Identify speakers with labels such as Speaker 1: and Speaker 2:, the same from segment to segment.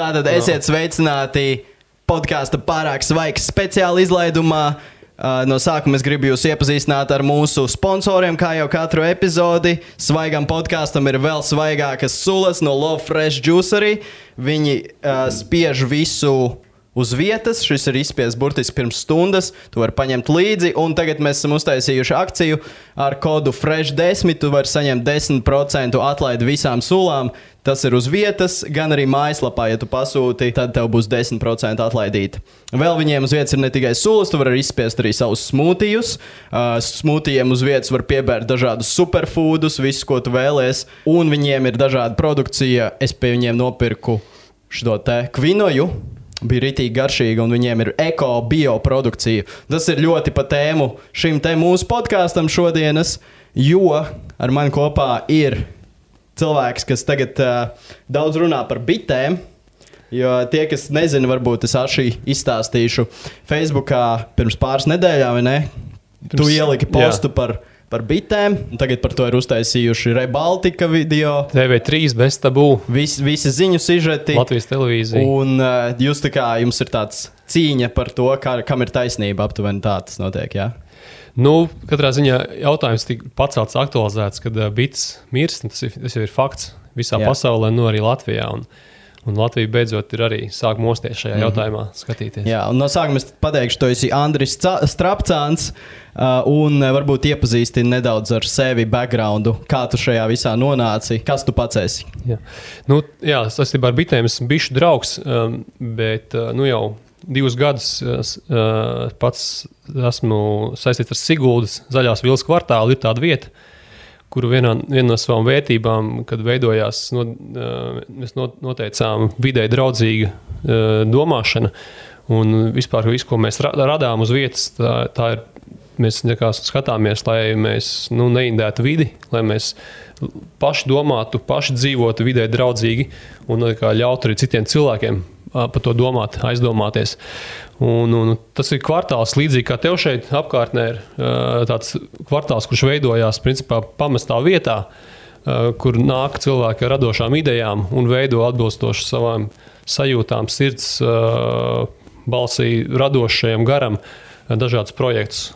Speaker 1: Tātad esiet sveicināti podkāsta Pārāk svaigs speciāla izlaidumā. No sākuma es gribu jūs iepazīstināt ar mūsu sponsoriem, kā jau katru epizodi. Svaigam podkāstam ir vēl svaigākas sulas no Love Fresh Juicery. Viņi spiež visu uz vietas. Šis ir izspiests burtiski pirms stundas. Tu vari paņemt līdzi. Un tagad mēs esam uztaisījuši akciju ar kodu FRESH10. Tu vari saņemt 10% atlaidi visām sulām. Tas ir uz vietas, gan arī mājaslapā, ja tu pasūti, tad tev būs 10% atlaidīta. Vēl viņiem uz vietas ir ne tikai sulas, tu vari izspiest arī savus smūtijus. Smūtijiem uz vietas var piebērt dažādus superfoodus, visu, ko tu vēlies. Un viņiem ir dažāda produkcija. Es pie viņiem nopirku šo te kvinoju. Bija ritīgi garšīgi, un viņiem ir eko-bio produkcija. Tas ir ļoti pa tēmu šim te mūsu podkāstam šodienas, jo ar mani kopā ir cilvēks, kas tagad daudz runā par bitēm, jo tie, kas nezina, varbūt es arī izstāstīšu Facebookā pirms pāris nedēļām, vai ne? Tu ieliki postu par bitēm, un tagad par to ir uztaisījuši Rebaltika video.
Speaker 2: TV3 bez tabū.
Speaker 1: Visi ziņu sižeti.
Speaker 2: Latvijas televīzija.
Speaker 1: Un jūs tā kā, jums ir tāds cīņa par to, kam ir taisnība, aptuveni tā tas notiek, jā?
Speaker 2: Nu, katrā ziņā jautājums tika pacelts, aktualizēts, kad bites mirst, tas jau ir fakts visā pasaulē, nu arī Latvijā. Un Latvija beidzot ir arī sāk mosties šajā jautājumā skatīties.
Speaker 1: Jā, un no sākuma es pateikšu, tu esi Andris Strapcāns, un varbūt iepazīstini nedaudz ar sevi backgroundu, kā tu šajā visā nonāci, kas tu pats esi.
Speaker 2: Jā, saistībā ar bitēm esmu bišu draugs, bet jau 2 gadus pats esmu saistīts ar Siguldas Zaļās vilas kvartālu, ir tāda vieta, kuru viena no savām vērtībām, kad veidojās, mēs noteicām videi draudzīga domāšana, un vispār visu, ko mēs radām uz vietas, tā ir, mēs skatāmies, lai mēs neindētu vidi, lai mēs paši domātu, paši dzīvotu videi draudzīgi un ļautu arī citiem cilvēkiem par to domāt, aizdomāties. Un tas ir kvartāls līdzīgi kā tev šeit apkārtnē ir tāds kvartāls, kurš veidojās principā pamestā vietā, kur nāk cilvēki ar radošām idejām un veido atbilstoši savām sajūtām, sirds balsī radošajam garam dažādus projektus.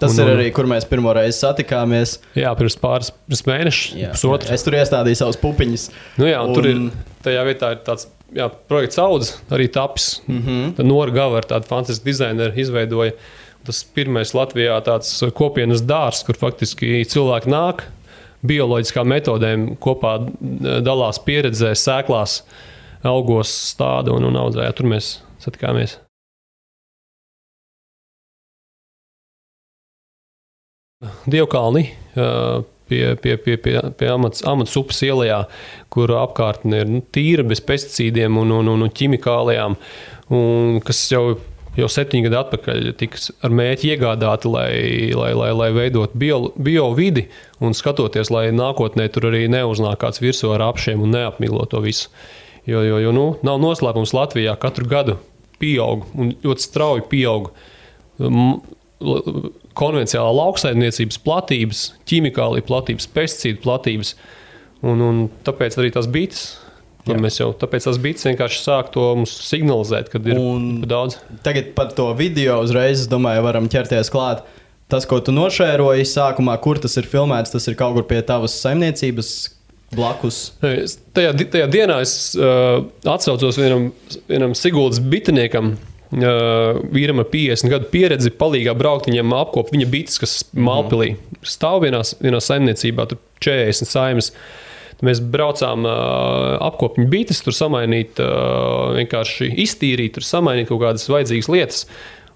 Speaker 1: Tas ir arī, kur mēs pirmo reizi satikāmies.
Speaker 2: Jā, pirms mēneša, pusotru.
Speaker 1: Es tur iestādīju savus pupiņus.
Speaker 2: Tur ir, tajā vietā ir tāds projekts Audz, arī tapis. Nora Gavara, tāda fantastiska dizainera, izveidoja. Tas pirmais Latvijā tāds kopienas dārs, kur faktiski cilvēki nāk, bioloģiskām metodēm kopā dalās pieredzē, sēklās, augos stāda un audzē. Tur mēs satikāmies. Dievkalni pie Amats upes ielajā, kur apkārtne ir tīra bez pesticīdiem un ķimikālijām, un kas jau 7 gadu atpakaļ tika ar mērķi iegādāti, lai veidot bio vidi un skatoties, lai nākotnē tur arī neuznāk kāds virsū ar apšiem un neapmiglo to visu. Jo nav noslēpums Latvijā katru gadu pieaug un ļoti strauji pieaug konvencionālā lauksaimniecības platības, ķimikālija platības, pesticīdu platības, un tāpēc arī tās bites, tāpēc tās bites vienkārši sāk to mums signalizēt, kad ir daudz.
Speaker 1: Tagad par to video uzreiz, es domāju, varam ķerties klāt. Tas, ko tu nošēroji sākumā, kur tas ir filmēts, tas ir kaut kur pie tavas saimniecības blakus?
Speaker 2: Tajā dienā es atsaucos vienam Siguldas bitiniekam, vīram ar 50 gadu pieredzi, palīgā braukt viņam apkop viņa bites, kas Malpilī stāv vienā saimniecībā, tur 40 saimes. Mēs braucām apkop viņa bites, tur samainīt, vienkārši iztīrīt, tur samainīt kaut kādas vajadzīgas lietas.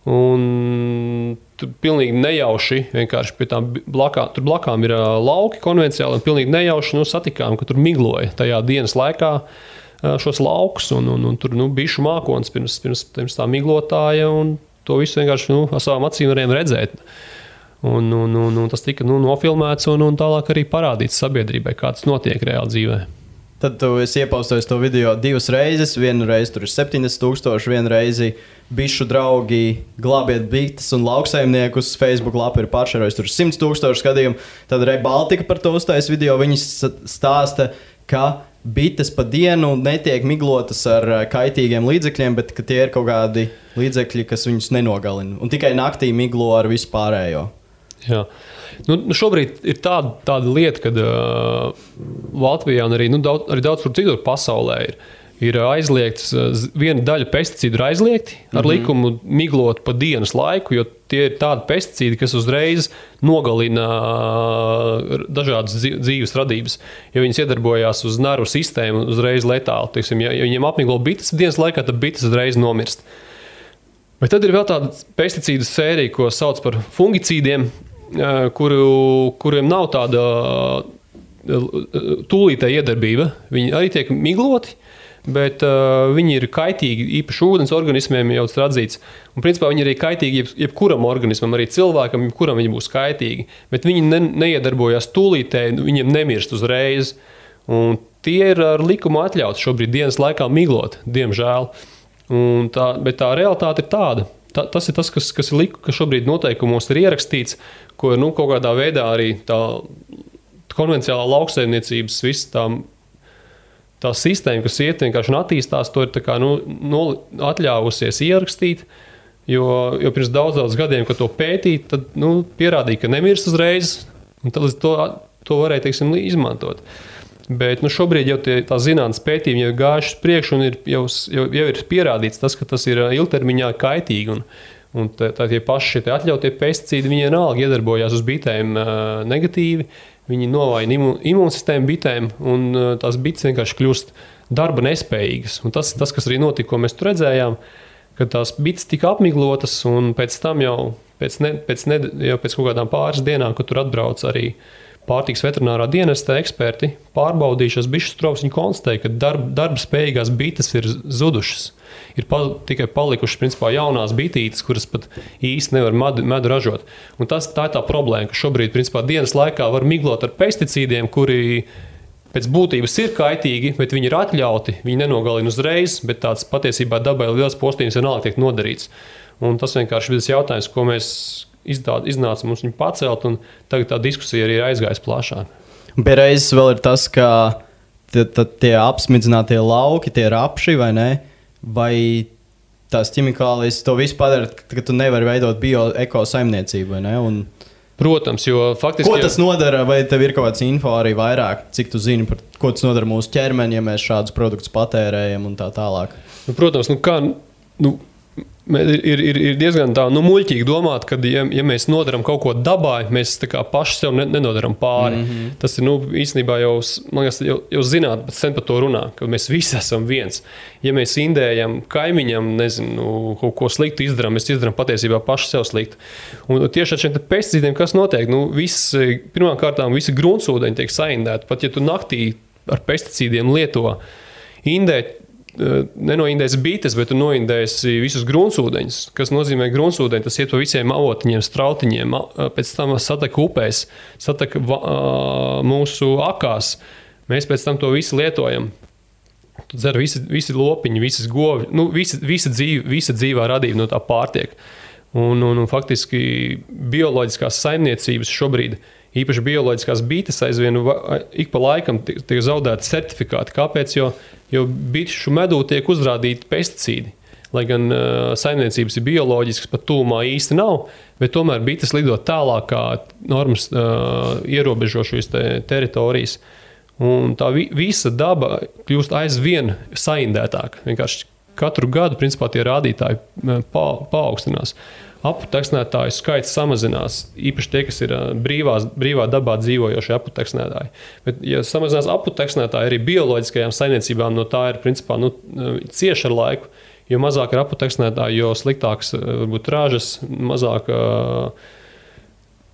Speaker 2: Un tur pilnīgi nejauši, vienkārši pie tām tur blakām ir lauki konvenciāli, un pilnīgi nejauši satikām, ka tur migloja tajā dienas laikā šos laukus, un tur bišu mākonis pirms tā miglotāja, un to visu vienkārši ar savām acīm varējām redzēt. Un tas tika nofilmēts un tālāk arī parādīts sabiedrībai, kā tas notiek reāli dzīvē.
Speaker 1: Tad tu esi iepaustojis to video 2 reizes, vienu reizi tur ir 70,000, vienu reizi bišu draugi glābiet bites un lauksaimniekus, Facebook lapa ir pāršērojis tur 100,000 skatījumu. Tad Rebaltika par to uztais video, viņi stāsta, ka bites pa dienu netiek miglotas ar kaitīgiem līdzekļiem, bet ka tie ir kaut kādi līdzekļi, kas viņus nenogalina. Un tikai naktī miglo ar visu pārējo.
Speaker 2: Jā. Nu šobrīd ir tāda lieta, kad Latvijā un arī daudz kur citur pasaulē ir aizliegts, viena daļa pesticīdu ir aizliegti ar likumu miglot pa dienas laiku, jo tie ir tādi pesticīdi, kas uzreiz nogalina dažādas dzīves radības, jo viņas iedarbojās uz nervu sistēmu uzreiz letāli. Teiksim, ja viņiem apmiglo bites dienas laikā, tad bites uzreiz nomirst. Bet tad ir vēl tāda pesticīdu sērija, ko sauc par fungicīdiem, kuriem nav tāda tūlītē iedarbība. Viņi arī tiek migloti, bet viņi ir kaitīgi īpaši ūdens organismiem, jau tas ir atzīts. Un principā viņi ir arī kaitīgi jebkuram organismam, arī cilvēkam, jebkuram viņi būs kaitīgi. Bet viņi neiedarbojās tūlītē, viņiem nemirst uzreiz. Un tie ir ar likumu atļauts šobrīd dienas laikā miglot, diemžēl. Bet tā realitāte ir tāda. Tas ir tas, kas šobrīd noteikumos ir ierakstīts, ko kaut kādā veidā arī tā konvencionālā lauksaimniecības viss tā sistēma, kas vienkārši attīstās, to ir tā kā, atļāvusies ierakstīt, jo pirms daudz gadiem, kad to pētīt, tad pierādīja, ka nemirst uzreiz, un tad to varēja, teiksim, izmantot. Bet šobrīd jau tā zinātnes pētījumi jau ir gājuši priekš un jau ir pierādīts tas, ka tas ir ilgtermiņā kaitīgi. Un tie paši atļautie pesticīdi, viņi vienalga iedarbojās uz bitēm negatīvi. Viņi novājina imūnsistēmu bitēm, un tās bites vienkārši kļūst darba nespējīgas. Un tas, kas arī notika, ko mēs tur redzējām, kad tās bites tika apmiglotas, un pēc tam jau pēc kaut kādām pāris dienām, kad tur atbrauc arī pārtikas veterinārā dienesta eksperti, pārbaudījušas bišu strovas, viņi konstatēja, ka darba spējīgās bites ir zudušas. Ir tikai palikušas principā jaunās bitītes, kuras pat īsti nevar medu ražot. Un tā ir tā problēma, ka šobrīd principā dienas laikā var miglot ar pesticīdiem, kuri pēc būtības ir kaitīgi, bet viņi ir atļauti, viņi nenogalina uzreiz, bet tāds patiesībā dabai liels postījums vienalga tiek nodarīts. Un tas vienkārši ir tas jautājums, ko mēs iznāca mums viņu pacelt, un tagad tā diskusija arī ir aizgājis plašāk.
Speaker 1: Pie reizes vēl ir tas, ka tie apsmidzinātie lauki, tie rapši, vai ne? Vai tās ķimikālijas to visu padara, ka tu nevari veidot bio-eko saimniecību, vai ne?
Speaker 2: Protams, jo faktiski...
Speaker 1: Ko tas nodara, vai tev ir kaut kāds info arī vairāk, cik tu zini par ko tas nodara mūsu ķermeni, ja mēs šādus produktus patērējam un tā tālāk?
Speaker 2: Protams, ir diezgan tā muļķīgi domāt, ka, ja mēs nodaram kaut ko dabā, mēs tā kā paši sev nenodaram pāri. Tas ir, īstenībā jau zināt, bet sen par to runā, ka mēs visi esam viens. Ja mēs indējam kaimiņam, kaut ko sliktu izdarām, mēs izdarām patiesībā paši sev sliktu. Un tieši ar šiem pesticīdiem, kas notiek? Pirmām kārtām visi gruntsūdeņi tiek saindēti. Pat ja tu naktī ar pesticīdiem lieto indēt, nenoindēs bites, bet tu noindēsi visus gruntsūdeņus, kas nozīmē gruntsūdeņi, tas iet pa visiem avotiņiem, strautiņiem, pēc tam sataka upēs, sataka mūsu akās. Mēs pēc tam to visu lietojam. Tu dzer visi lopiņi, visas govi, visa dzīvā radība no tā pārtiek. Un faktiski bioloģiskās saimniecības šobrīd, īpaši bioloģiskās bites aizvien ik pa laikam tiek zaudēti certifikāti. Kāpēc? Jo bišu medū tiek uzrādīti pesticīdi. Lai gan saimniecības ir bioloģiskas, pat tūmā īsti nav, bet tomēr bites lido tālāk, kā normas ierobežo šīs teritorijas. Un tā visa daba kļūst aizvien saindētāka. Vienkārši katru gadu, principā, tie rādītāji paaugstinās. Aputeksnētāju skaits samazinās, īpaši tie, kas ir brīvā dabā dzīvojošie aputeksnētāji. Bet, ja samazinās aputeksnētāji, arī bioloģiskajām saimniecībām no tā ir, principā, cieši ar laiku, jo mazāk ir aputeksnētāji, jo sliktāks varbūt ražas, mazāk.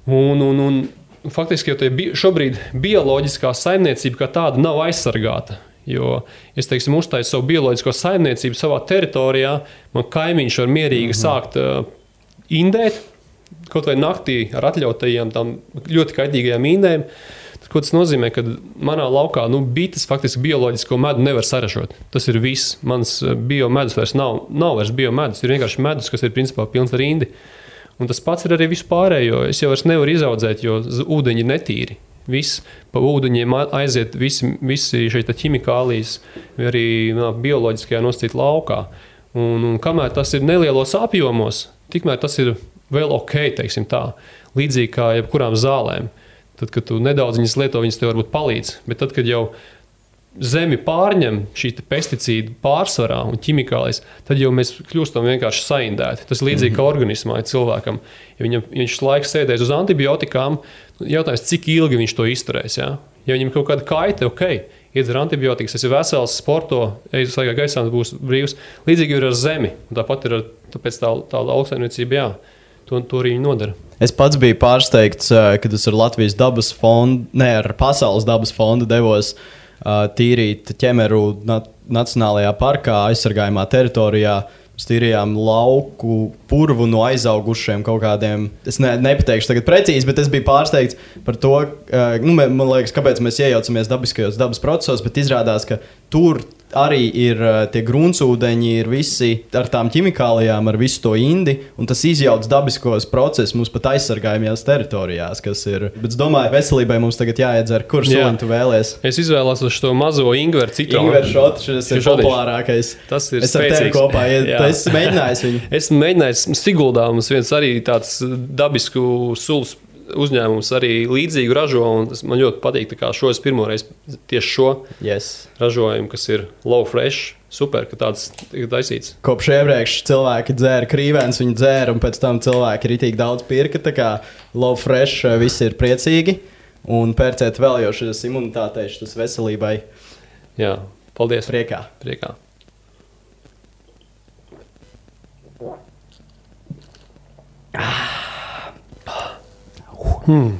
Speaker 2: Un faktiski, jo šobrīd bioloģiskā saimniecība kā tāda nav aizsargāta. Jo, es teiksim, uztaisu savu bioloģisko saimniecību savā teritorijā, man kaimiņš var mierīgi sākt indēt, kaut vai naktī ar atļautajiem tām ļoti kaitīgajām indēm. Ko tas nozīmē, ka manā laukā bites faktiski bioloģisko medu nevar saražot. Tas ir viss. Mans biomedus vairs nav vairs biomedus, ir vienkārši medus, kas ir principā pilns ar indi. Un tas pats ir arī vispārējo. Es jau vairs nevaru izaudzēt, jo ūdeņi ir netīri. viss pa ūdeņiem aiziet, visi šeit ķimikālijas, vai arī bioloģiskajā nosacīta laukā. Un kamēr tas ir nelielos apjomos, tikmēr tas ir vēl ok, teiksim tā, līdzīgi kā jebkurām zālēm. Tad, kad tu nedaudz viņas lieto, viņas tev varbūt palīdz, bet tad, kad jau zemi pārņem šī pesticīdu pārsvarā un ķimikālijas, tad jau mēs kļūstam vienkārši saindēti. Tas līdzīgi kā organismā ir cilvēkam. Ja viņš laiks sēdēs uz antibiotikām, jautājums, cik ilgi viņš to izturēs. Ja viņam kaut kāda kaita, ok, iedzer antibiotikas, tas ir vesels, sporto, ej svaigā gaisā, būs brīvs. Līdzīgi ir ar zemi. Un tāpat ir tāpēc tā lauksaimniecība, jā, to arī viņi nodara.
Speaker 1: Es pats biju pārsteigts, kad es ar Latvijas dabas fondu, ar Pasaules dabas fondu devos tīrīt ķemeru Nacionālajā parkā, aizsargājumā teritorijā. Mēs tīrījām lauku purvu no aizaugušiem kaut kādiem. Es nepateikšu tagad precīzi, bet es biju pārsteigts par to, man liekas, kāpēc mēs iejaucamies dabiskajos dabas procesos, bet izrādās, ka tur arī ir tie gruntsūdeņi, ir visi ar tām ķimikālijām, ar visu to indi, un tas izjauc dabiskos procesus mums pat aizsargājumajās teritorijās, kas ir. Bet es domāju, veselībai mums tagad jāiedzer, kurš soļu tu vēlies.
Speaker 2: Es izvēlos šo mazo ingveru citronu.
Speaker 1: Ingveru šotu, šis ir populārākais.
Speaker 2: Tas ir
Speaker 1: es spēcīgs. Es ar tevi kopā, es mēģināju viņu.
Speaker 2: Esmu mēģinājis Siguldā, mums viens arī tāds dabisku sulas uzņēmums arī līdzīgu ražo, un man ļoti patīk, kā šo es pirmoreiz tieši šo ražojumu, kas ir low fresh, super, ka tāds ir taisīts.
Speaker 1: Kopš iepriekš cilvēki dzēra krīvēns, viņi dzēra, un pēc tam cilvēki ritīgi daudz pirka, tā kā low fresh visi ir priecīgi, un pērcēt vēl jau šis imunitātei, šis veselībai.
Speaker 2: Jā, paldies.
Speaker 1: Priekā.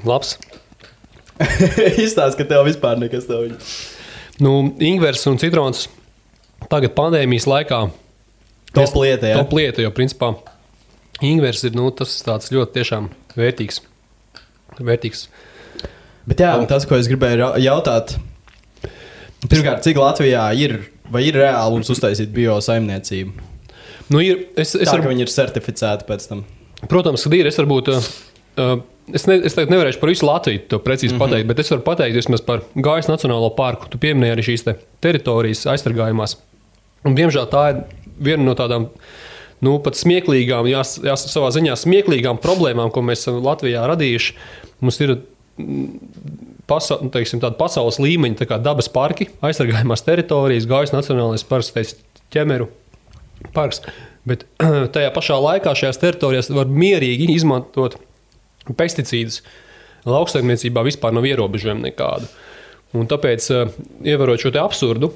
Speaker 2: Labs.
Speaker 1: Izstāst, ka tev vispār nekas tev.
Speaker 2: Ingvers un citrons tagad pandēmijas laikā
Speaker 1: top lieta,
Speaker 2: jo principā ingvers ir tas tāds ļoti tiešām vērtīgs.
Speaker 1: Bet jā, tas, ko es gribēju jautāt, pirmkārt, cik Latvijā ir reāli mums uztaisīt biosaimniecību? Ka viņi ir certificēti pēc tam.
Speaker 2: Protams, kad ir, es varbūt... Es tagad nevarēšu par visu Latviju to precīzi pateikt, bet es varu pateikt vismaz par Gājas Nacionālo parku. Tu pieminēji arī šīs teritorijas aizsargājumās. Un, diemžēl tā ir viena no tādām pat smieklīgām, savā ziņā smieklīgām problēmām, ko mēs esam Latvijā radījuši. Mums ir tāda pasaules līmeņa tā kā dabas parki, aizsargājumās teritorijas, Gājas Nacionālais parks, ķemeru parks. Bet tajā pašā laikā šajās teritorijās var mierīgi izmantot pesticīdus. Lauksaimniecībā vispār nav ierobežojumi nekādu. Un tāpēc, ievarot šo te absurdu,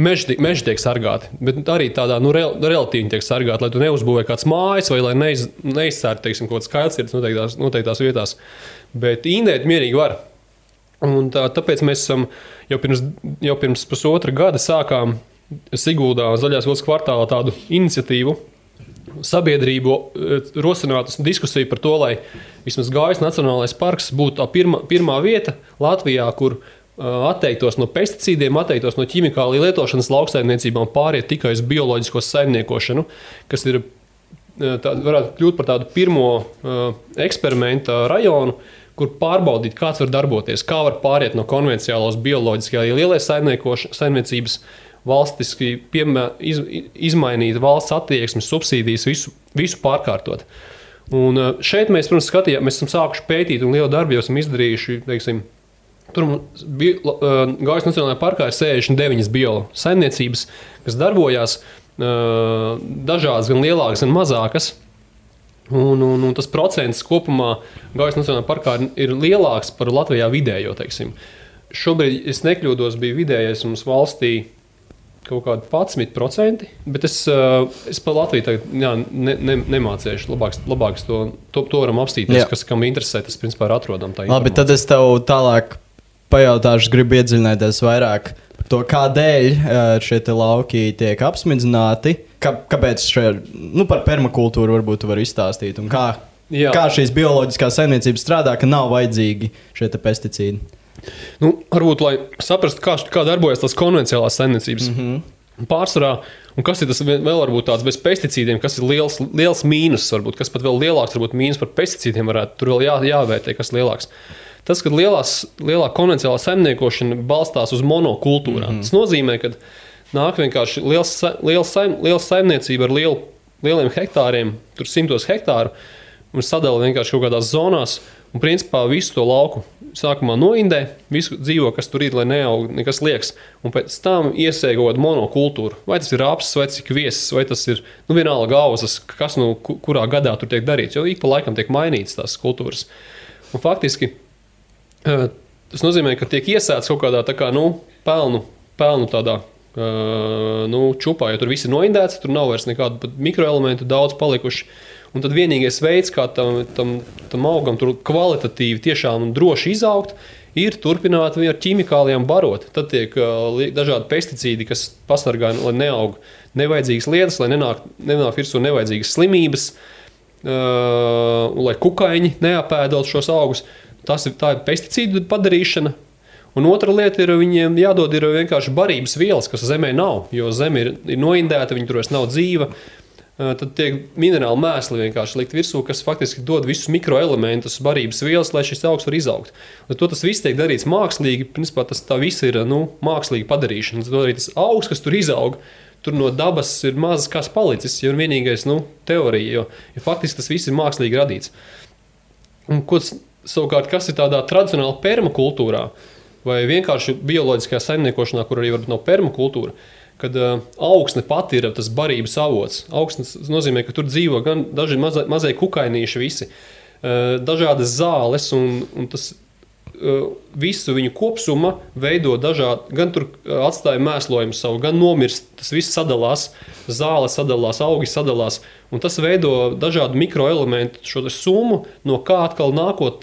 Speaker 2: meži tiek sargāti, bet arī tādā relatīvi tiek sargāti, lai tu neuzbūvē kāds mājas vai lai neizcērt, teiksim, kaut kāds kailcirds noteiktās vietās. Bet indēt mierīgi var. Un tāpēc mēs esam jau pirms pusotra gada sākām Siguldā Zaļās vilnas kvartālā tādu iniciatīvu, sabiedrību rosināt diskusiju par to, lai vismaz Gājas Nacionālais parks būtu tā pirmā vieta Latvijā, kur atteiktos no pesticīdiem, atteiktos no ķimikāliju lietošanas lauksaimniecībā un pāriet tikai uz bioloģisko saimniekošanu, kas ir varētu kļūt par tādu pirmo eksperimenta rajonu, kur pārbaudīt, kāds var darboties, kā var pāriet no konvenciālos bioloģiskajā lielai saimniecības valstiski izmainīt valsts attieksmes, subsīdijas, visu pārkārtot. Un šeit mēs, protams, mēs esam sākuši pētīt un lielu darbu jau esam izdarījuši, teiksim, tur Gājas Nacionālajā parkā ir 69 biosaimniecības, kas darbojās, dažādas, gan lielākas, gan mazākas. Un tas procents kopumā Gājas Nacionālajā parkā ir lielāks par Latvijā vidējo, teiksim. Šobrīd, es nekļūdos, bija vidējais mums valstī kaut kādi 11%, bet es par Latviju tagad nemācēšu. Labāks to varam apstīties, kam interesē, tas principā ir atrodam tā informācija.
Speaker 1: Labi, tad es tev tālāk pajautāšu, gribu iedziļināties vairāk par to, kādēļ šie te lauki tiek apsmidzināti, kāpēc par permakultūru varbūt tu vari izstāstīt, un kā šīs bioloģiskās saimniecības strādā, ka nav vajadzīgi šie te pesticīdi.
Speaker 2: Varbūt, lai saprastu, kā darbojas tās konvenciālās saimniecības pārsvarā, un kas ir tas vēl varbūt tāds bez pesticīdiem, kas ir liels mīnus, varbūt, kas pat vēl lielāks, varbūt mīnus par pesticīdiem varētu, tur vēl jāvērtē, kas lielāks. tas, ka lielā konvencionālā saimniekošana balstās uz monokultūrām. Tas nozīmē, ka nāk vienkārši liela saimniecība ar lieliem hektāriem, tur 100 hektāru, un sadala vienkārši kaut kādās zonās, un principā visu to lauku sākumā noindē, visu dzīvo, kas tur ir, lai neaug nekas liekas, un pēc tam iesēja kaut kādu monokultūru. Vai tas ir rapsis, vai tas ir kviesis, vai tas ir, vienalga auzas, kas kurā gadā tur tiek darīts, jo ik pa laikam tiek mainīts tās kultūras. Un faktiski tas nozīmē, ka tiek iesēts kaut kādā tā kā, pelnu tādā čupā, jo tur viss ir noindēts, tur nav vairs nekādu pat mikroelementu daudz palikuši. Un tad vienīgais veids, kā tam augam tur kvalitatīvi tiešām un droši izaugt, ir turpināt ar ķimikālijām barot. Tad tiek dažādi pesticīdi, kas pasargā, lai neaug nevajadzīgas lietas, lai nenāk virsū nevajadzīgas slimības, lai kukaiņi neapēdot šos augus. Tā ir pesticīdu padarīšana. Un otra lieta ir, viņiem jādod ir vienkārši barības vielas, kas zemē nav, jo zeme ir noindēta, viņi tur vairs nav dzīva. Tad tiek minerāli mēsli vienkārši likt virsū, kas faktiski dod visus mikroelementus, barības vielas, lai šis augs var izaugt. Tas viss tiek darīts mākslīgi, principā tā viss ir mākslīgi padarīšana. Tad arī tas augs, kas tur izaug, tur no dabas ir mazas kas palicis, jo ir vienīgais teorija, jo faktiski tas viss ir mākslīgi radīts. Un savukārt, kas ir tādā tradicionāla permakultūrā, vai vienkārši bioloģiskajā saimniekošanā, kur arī varbūt nav permakultūra, kad augsne pati ir tas barības avots. Augsnes nozīmē, ka tur dzīvo gan daži mazie kukainīši visi, dažādas zāles, un tas visu viņu kopsuma veido dažādi, gan tur atstāja mēslojumu savu, gan nomirst, tas viss sadalās, zāles sadalās, augi sadalās, un tas veido dažādu mikroelementu šo summu, no kā atkal nākot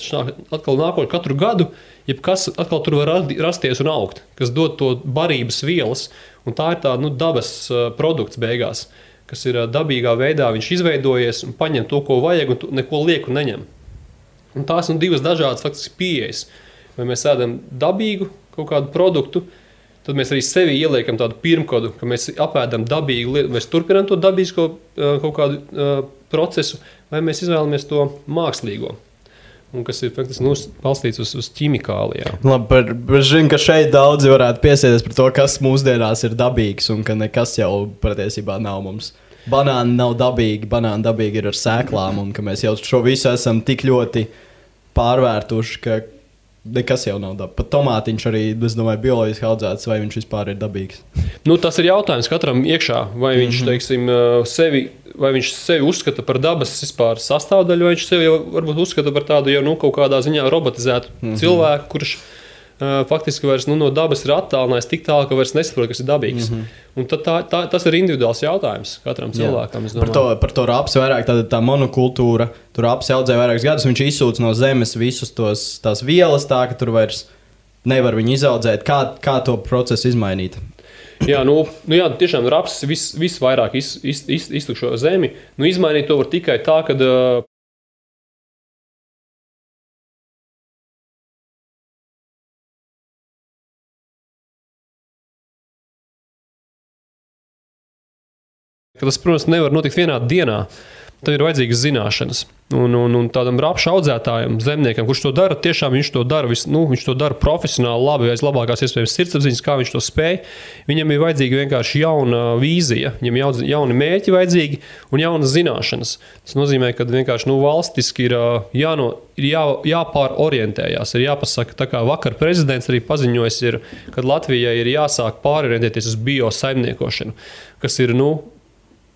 Speaker 2: katru gadu, jebkas atkal tur var rasties un augt, kas dod to barības vielas, un tā ir tā dabas produkts beigās, kas ir dabīgā veidā, viņš izveidojies un paņem to, ko vajag, un neko lieku neņem. Un tās divas dažādas faktiski pieejas. Vai mēs ēdam dabīgu kaut kādu produktu, tad mēs arī sevi ieliekam tādu pirmkodu, ka mēs apēdam dabīgu lietu, mēs turpinām to dabīsko kaut kādu procesu, vai mēs izvēlamies to mākslīgo. Un kas ir faktiski balstīts uz ķimikālijām.
Speaker 1: Labi, es zinu, ka šeit daudzi varētu piesieties par to, kas mūsdienās ir dabīgs un ka nekas jau patiesībā nav mums. Banāni nav dabīgi, banāni dabīgi ir ar sēklām un ka mēs jau šo visu esam tik ļoti pārvērtuši, ka nekas jau nav dabīgs. Pat tomātiņš arī, es domāju, bioloģiski audzēts, vai viņš vispār ir dabīgs?
Speaker 2: Tas ir jautājums katram iekšā, vai viņš, vai viņš sevi uzskata par dabas vispār sastāvdaļu, vai viņš sevi jau varbūt uzskata par tādu jau kaut kādā ziņā robotizētu cilvēku, kurš faktiski vairs no dabas ir attālinājis tik tālu, ka vairs nesaprot, kas ir dabīgs. Un tad tas ir individuāls jautājums katram cilvēkam.
Speaker 1: Par to rapsi vairāk tā monokultūra, tur rapsi audzē vairākus gadus, viņš izsūc no zemes visus tās vielas tā, ka tur vairs nevar viņu izaudzēt. Kā to procesu izmainīt?
Speaker 2: Jā, tiešām rapsis visvairāk iztukšo zemi. Izmainīt to var tikai tā, kad tas, protams, nevar notikt vienā dienā. Tam ir vajadzīgas zināšanas. Un tādam rapšu audzētājam, zemniekam, kurš to dara, tiešām viņš to dara, viņš to dara profesionāli, labi, aiz labākās iespējams sirdsapziņas, kā viņš to spēj. Viņam ir vajadzīga vienkārši jauna vīzija, viņam jauni mērķi vajadzīgi un jaunas zināšanas. Tas nozīmē, ka vienkārši valstiski ir jāpārorientējās, ir jāpasaka, tā kā vakar prezidents arī paziņojis, kad Latvijai ir jāsāk pārorientēties uz biosaimniekošanu, kas ir,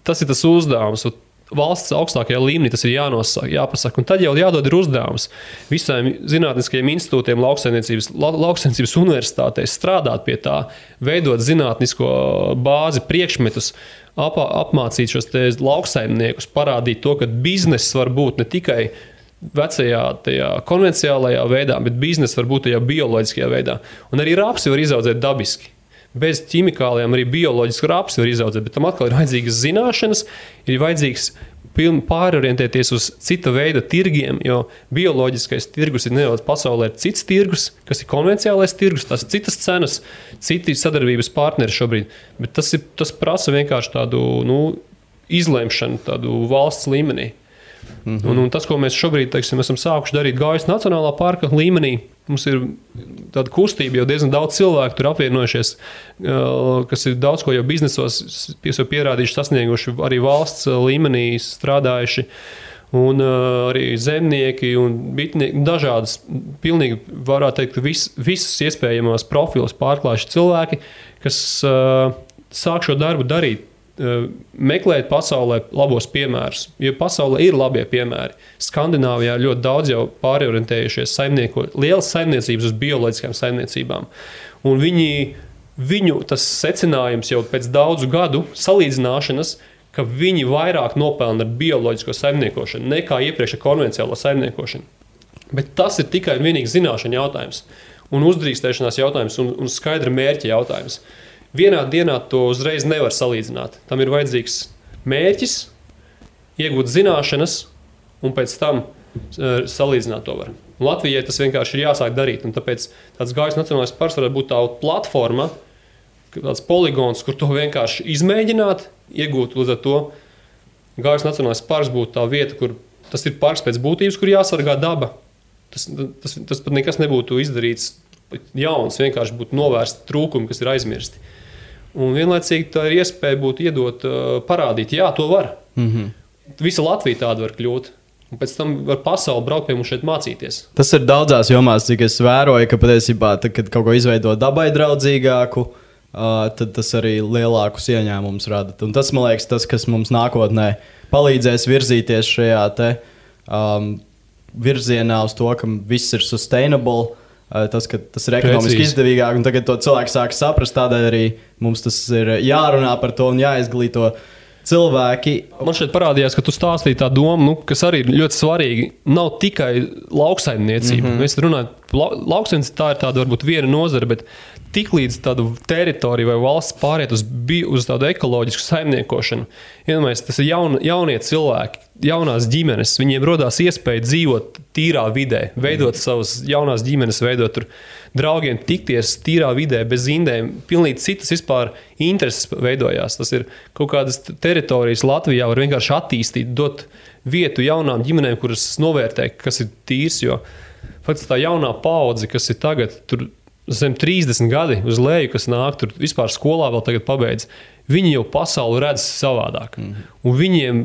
Speaker 2: tas ir tas uzdevums. Valsts augstākajā līmenī tas ir jāpasaka. Un tad jau jādod ir uzdevums visiem zinātniskajiem institūtiem, lauksaimniecības universitātēs strādāt pie tā, veidot zinātnisko bāzi, priekšmetus, apmācīt šos lauksaimniekus, parādīt to, ka bizness var būt ne tikai vecajā tajā konvencionālajā veidā, bet bizness var būt tajā bioloģiskajā veidā. Un arī rapsi var izaudzēt dabiski. Bez ķimikālijām arī bioloģisku rapsi var izaudzēt, bet tam atkal ir vajadzīgas zināšanas, ir vajadzīgs pārorientēties uz cita veida tirgiem, jo bioloģiskais tirgus ir nedaudz pasaulē cits tirgus, kas ir konvencionālais tirgus, tās citas cenas, citi sadarbības partneri šobrīd, bet tas prasa vienkārši tādu izlemšanu, tādu valsts līmenī. Un tas, ko mēs šobrīd esam sākuši darīt Gaujas Nacionālā parka līmenī, mums ir tāda kustība, jau diezgan daudz cilvēku tur apvienojušies, kas ir daudz ko jau biznesos pierādījuši, sasnieguši, arī valsts līmenī strādājuši. Un arī zemnieki un bitnieki, dažādas, pilnīgi varētu teikt, visas iespējamās profilus pārklājuši cilvēki, kas sāk šo darbu darīt, meklēt pasaulē labos piemērus, jo pasaulē ir labie piemēri. Skandināvijā ļoti daudz jau pārorientējušies lielas saimniecības uz bioloģiskām saimniecībām. Un viņu tas secinājums jau pēc daudzu gadu salīdzināšanas, ka viņi vairāk nopelna ar bioloģisko saimniekošanu nekā iepriekš ar konvenciālo saimniekošanu. Bet tas ir tikai un vienīgi zināšana jautājums un uzdrīkstēšanās jautājums un skaidra mērķa jautājums. Vienā dienā to uzreiz nevar salīdzināt. Tam ir vajadzīgs mērķis, iegūt zināšanas un pēc tam salīdzināt to var. Latvijai tas vienkārši ir jāsāk darīt, un tāpēc tāds Gaujas Nacionālais parks varētu būt tā platforma, tāds poligons, kur to vienkārši izmēģināt, iegūt līdz ar to. Gaujas Nacionālais parks būtu tā vieta, kur tas ir parks pēc būtības, kur jāsargā daba. Tas pat nekas nebūtu izdarīts jauns, vienkārši būtu novērsti trūkumi, kas ir aizmirsti. Un vienlaicīgi tā ir iespēja būtu iedot, parādīt, jā, to var. Visa Latvija tāda var kļūt. Un pēc tam var pasauli braukt pie mums šeit mācīties.
Speaker 1: Tas ir daudzās jomās, cik es vēroju, ka patiesībā, kad kaut ko izveido dabai draudzīgāku, tad tas arī lielākus ieņēmumus rada. Un tas, man liekas, tas, kas mums nākotnē palīdzēs virzīties šajā te virzienā uz to, ka viss ir sustainable, tas, ka tas ir ekonomiski izdevīgāk, un tagad to cilvēki sāk saprast, tādēļ arī mums tas ir jārunā par to un jāizglīto cilvēki.
Speaker 2: Man šeit parādījās, ka tu stāstīji tā domu, kas arī ir ļoti svarīgi. Nav tikai lauksaimniecība. Mēs runājam, lauksaimniecība tā ir tāda varbūt viena nozara, bet tiklīdz tādu teritoriju vai valsts pāriet uz tādu ekoloģisku saimniekošanu, iedomājies, tas ir jaunie cilvēki, jaunās ģimenes, viņiem rodās iespēja dzīvot tīrā vidē, veidot savas jaunās ģimenes, veidot tur draugiem, tikties tīrā vidē, bez indēm, pilnīgi citas vispār intereses veidojās. Tas ir kaut kādas teritorijas Latvijā var vienkārši attīstīt, dot vietu jaunām ģimenēm, kuras novērtē, kas ir tīrs, jo faktiski tā jaunā paudze, kas ir tagad tur zem 30 gadi uz leju, kas nāk tur vispār skolā vēl tagad pabeidz, viņi jau pasauli redz savādāk. Un viņiem,